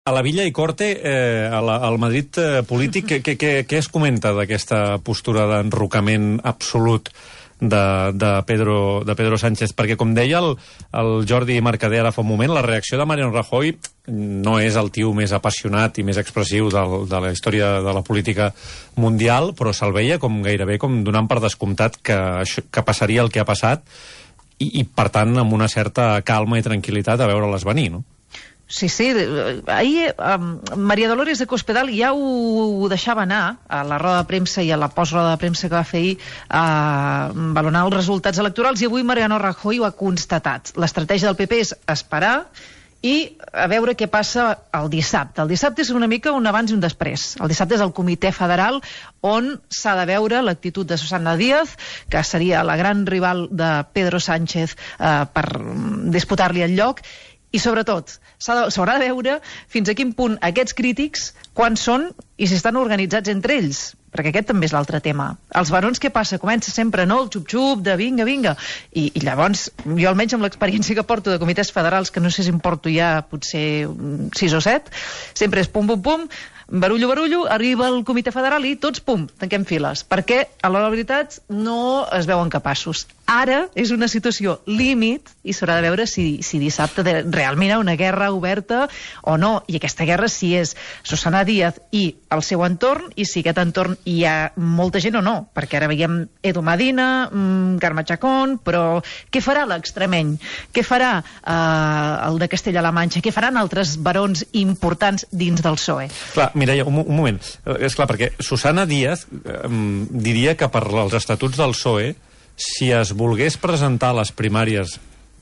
a la Villa i Corte, al Madrid polític, què es comenta d'aquesta postura d'enrocament absolut de Pedro Sánchez? Perquè, com deia el Jordi Mercader ara fa un moment, la reacció de Mariano Rajoy no és el tio més apassionat i més expressiu de la història de la política mundial, però se'l veia com gairebé com donant per descomptat que passaria el que ha passat i per tant, amb una certa calma i tranquil·litat a veure-les venir, no? Sí, sí. Ahir Maria Dolores de Cospedal ja ho deixava anar a la roda de premsa i a la postroda de premsa que va fer ahir a valorar els resultats electorals, i avui Mariano Rajoy ho ha constatat. L'estratègia del PP és esperar i a veure què passa el dissabte. El dissabte és una mica un abans i un després. El dissabte és el Comitè Federal, on s'ha de veure l'actitud de Susana Díaz, que seria la gran rival de Pedro Sánchez per disputar-li el lloc, i sobretot s'haurà de veure fins a quin punt aquests crítics, quan són i si estan organitzats entre ells, perquè aquest també és l'altre tema. Els barons, què passa? Comença sempre, no?, el xup-xup de vinga, i llavors, jo almenys amb l'experiència que porto de comitès federals, que no sé si em porto ja potser 6 o 7, sempre és pum, pum, pum, barullo, arriba el comitè federal i tots, pum, tanquem files, perquè a l'hora de la veritat no es veuen capaços. Ara és una situació límit i s'haurà de veure si dissabte realment hi ha una guerra oberta o no, i aquesta guerra si és Susana Díaz i el seu entorn, i si aquest entorn hi ha molta gent o no, perquè ara veiem Edu Medina, Carme Chacón, però què farà l'extremeny? Què farà el de Castella-La Manxa? Què faran altres barons importants dins del PSOE? Clar, Mireia, un moment. És clar, perquè Susana Díaz diria que per als estatuts del PSOE, si es volgués presentar a les primàries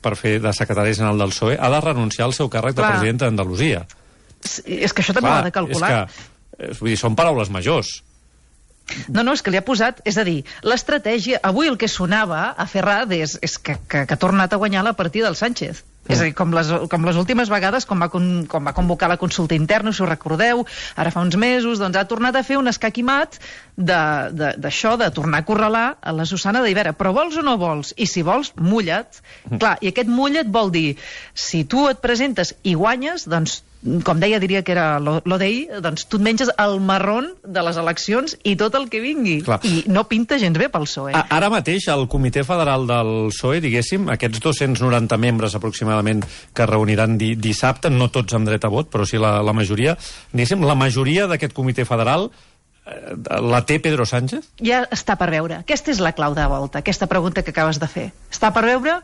per fer de secretari general del PSOE, ha de renunciar al seu càrrec de presidenta d'Andalusia. És que això també ho ha de calcular. Vull dir, són paraules majors. No, és que li ha posat... És a dir, l'estratègia... Avui el que sonava a Ferraz és que ha tornat a guanyar la partida del Sánchez. És a dir, com les últimes vegades, quan va convocar la consulta interna, si ho recordeu, ara fa uns mesos, doncs ha tornat a fer un escac i mat d'això, de tornar a acorralar a la Susana d'Ibera. Però vols o no vols? I si vols, mulla't. Clar, i aquest mulla't vol dir, si tu et presentes i guanyes, doncs, com deia, diria que era l'Odei, doncs tu et menges el marrón de les eleccions i tot el que vingui. Clar. I no pinta gens bé pel PSOE. Ara mateix, el Comitè Federal del PSOE, diguéssim, aquests 290 membres aproximadament que reuniran dissabte, no tots amb dret a vot, però sí la majoria, diguéssim, la majoria d'aquest Comitè Federal la té Pedro Sánchez? Ja està per veure. Aquesta és la clau de volta, aquesta pregunta que acabes de fer. Està per veure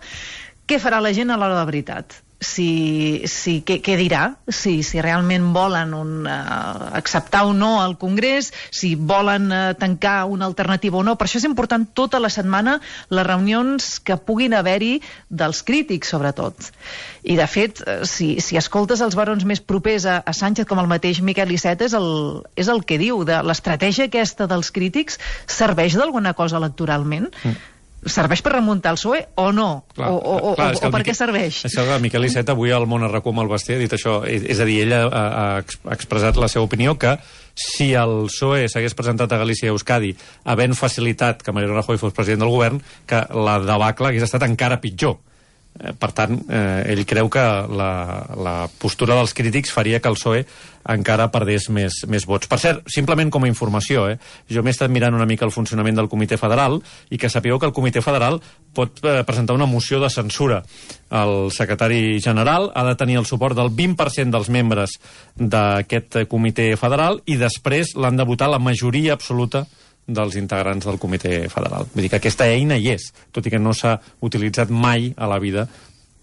què farà la gent a l'hora de la veritat. Què dirà? Si realment volen acceptar o no el Congrés, si volen tancar una alternativa o no. Per això és important tota la setmana les reunions que puguin haver-hi dels crítics, sobretot. I, de fet, si escoltes els barons més propers a Sánchez, com el mateix Miquel Iceta, és el que diu, de l'estratègia aquesta dels crítics serveix d'alguna cosa electoralment? Serveix per remuntar el PSOE o no? Clar, o per què serveix? És que el Miquel Iceta avui al Món RAC1 amb el Basté ha dit això, és a dir, ella ha expressat la seva opinió que si el PSOE s'hagués presentat a Galícia i Euskadi havent facilitat que Mariano Rajoy fos president del govern, que la debacle hagués estat encara pitjor. Per tant, ell creu que la postura dels crítics faria que el PSOE encara perdés més vots. Per cert, simplement com a informació, jo m'he estat mirant una mica el funcionament del Comitè Federal i que sapigueu que el Comitè Federal pot presentar una moció de censura al secretari general, ha de tenir el suport del 20% dels membres d'aquest Comitè Federal i després l'han de votar la majoria absoluta dels integrants del Comitè Federal. Vull dir que aquesta eina hi és, tot i que no s'ha utilitzat mai a la vida,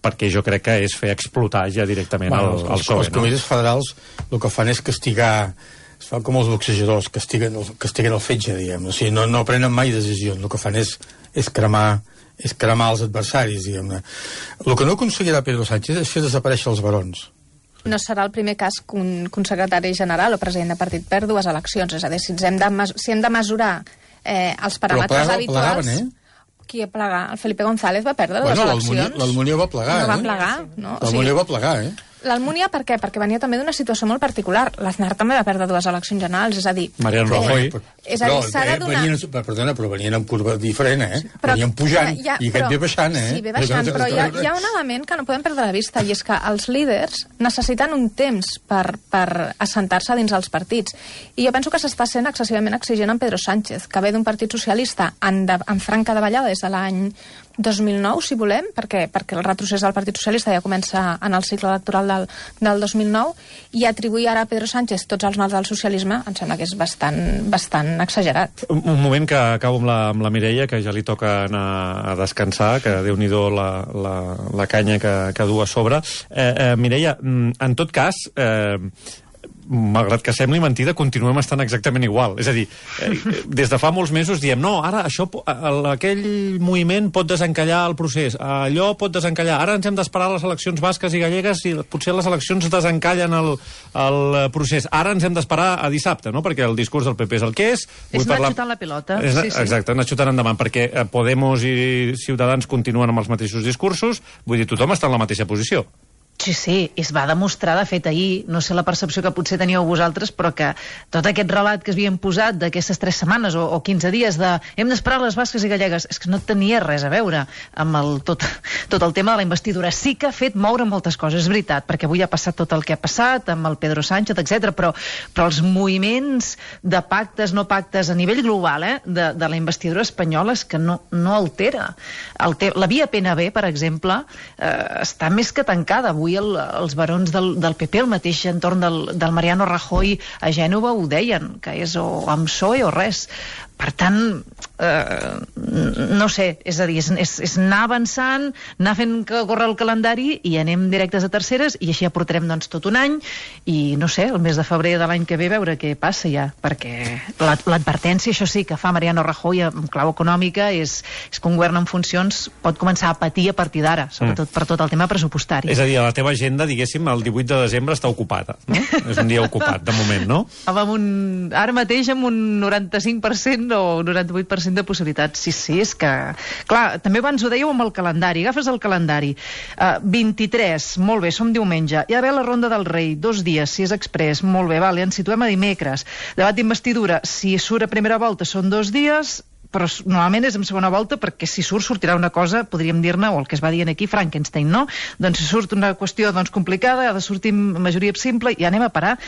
perquè jo crec que és fer explotar ja directament el PSOE. Els comitès federals el que fan és castigar, es fan com els boxejadors, castiguen el fetge, diguem. O sigui, no prenen mai decisions, el que fan és cremar els adversaris, diguem-ne. El que no aconseguirà Pedro Sánchez és fer desaparèixer els barons. No serà el primer cas que un secretari general o president de partit perd 2 eleccions. És a dir, si hem de mesurar els paràmetres habituals... Plegaven, Qui plegar? El Felipe González va perdre les eleccions. L'Almunió va plegar, No va plegar, no? L'Almunió va plegar, L'Almunia per què? Perquè venia també d'una situació molt particular. L'Aznar també va perdre 2 eleccions generals, és a dir... Mariano Rajoy. És a dir, s'ha de donar... Perdona, però venien amb curva diferent, venien pujant, i aquest ve baixant, Sí, ve baixant, però hi ha un element que no podem perdre de vista, i és que els líders necessiten un temps per assentar-se dins els partits. I jo penso que s'està sent excessivament exigent amb Pedro Sánchez, que ve d'un partit socialista en franca davallada des de l'any 2009, si volem, perquè el retrocés del Partit Socialista ja comença en el cicle electoral del 2009, i atribuir ara a Pedro Sánchez tots els mals del socialisme em sembla que és bastant exagerat. Un moment que acabo amb la Mireia, que ja li toca anar a descansar, que Déu-n'hi-do la canya que du a sobre. Mireia, en tot cas... malgrat que sembli mentida, continuem estant exactament igual. És a dir, des de fa molts mesos diem, no, ara aquell moviment pot desencallar el procés, allò pot desencallar, ara ens hem d'esperar les eleccions basques i gallegues i potser les eleccions desencallen el procés. Ara ens hem d'esperar a dissabte, no? Perquè el discurs del PP és el que és. És anar xutant la pilota. Exacte, anar xutant endavant, perquè Podemos i Ciutadans continuen amb els mateixos discursos, vull dir, tothom està en la mateixa posició. Sí, es va demostrar, de fet, ahir, no sé la percepció que potser teníeu vosaltres, però que tot aquest relat que es havien posat d'aquestes 3 setmanes o 15 dies de hem d'esperar les basques i gallegues, és que no tenia res a veure amb tot el tema de la investidura. Sí que ha fet moure moltes coses, és veritat, perquè avui ha passat tot el que ha passat amb el Pedro Sánchez, etc. Però els moviments de pactes, no pactes, a nivell global, de la investidura espanyola és que no altera. La via PNB, per exemple, està més que tancada. Avui els barons del PP, el mateix entorn del Mariano Rajoy a Gènova ho deien, que és o amb PSOE o res. Per tant, no sé, és a dir, és anar avançant, anar fent que corre el calendari i anem directes a terceres, i així ja portarem tot un any, i no sé, el mes de febrer de l'any que ve veure què passa ja, perquè l'advertència, això sí, que fa Mariano Rajoy en clau econòmica és que un govern en funcions pot començar a patir a partir d'ara, sobretot per tot el tema pressupostari. És a dir, a la teva agenda, diguéssim, el 18 de desembre està ocupada, no? És un dia ocupat, de moment, no? Ara mateix amb un 95% o un 98% de possibilitats. Sí, és que... Clar, també abans ho dèieu amb el calendari. Agafes el calendari. 23, molt bé, som diumenge. Hi ha d'haver la Ronda del Rei, 2 dies, si és exprés, molt bé, vale, ens situem a dimecres. Debat d'investidura, si surt a primera volta són 2 dies, però normalment és en segona volta, perquè si sortirà una cosa, podríem dir-ne, o el que es va dient aquí, Frankenstein, no? Doncs si surt una qüestió complicada, ha de sortir majoria simple, i anem a parar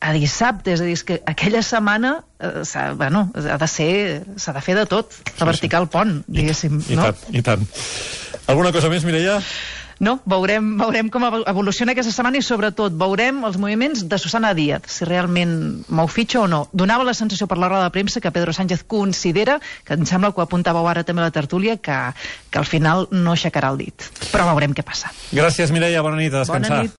a dissabte, és a dir, que aquella setmana s'ha de fer de tot, reverticar el pont, diguéssim. I tant. Alguna cosa més, Mireia? No, veurem com evoluciona aquesta setmana, i sobretot veurem els moviments de Susana Díaz, si realment mou fitxa o no. Donava la sensació per la roda de premsa que Pedro Sánchez considera, que em sembla que ho apuntàveu ara també a la tertúlia, que al final no aixecarà el dit. Però veurem què passa. Gràcies, Mireia, bona nit, a descansar. Bona nit.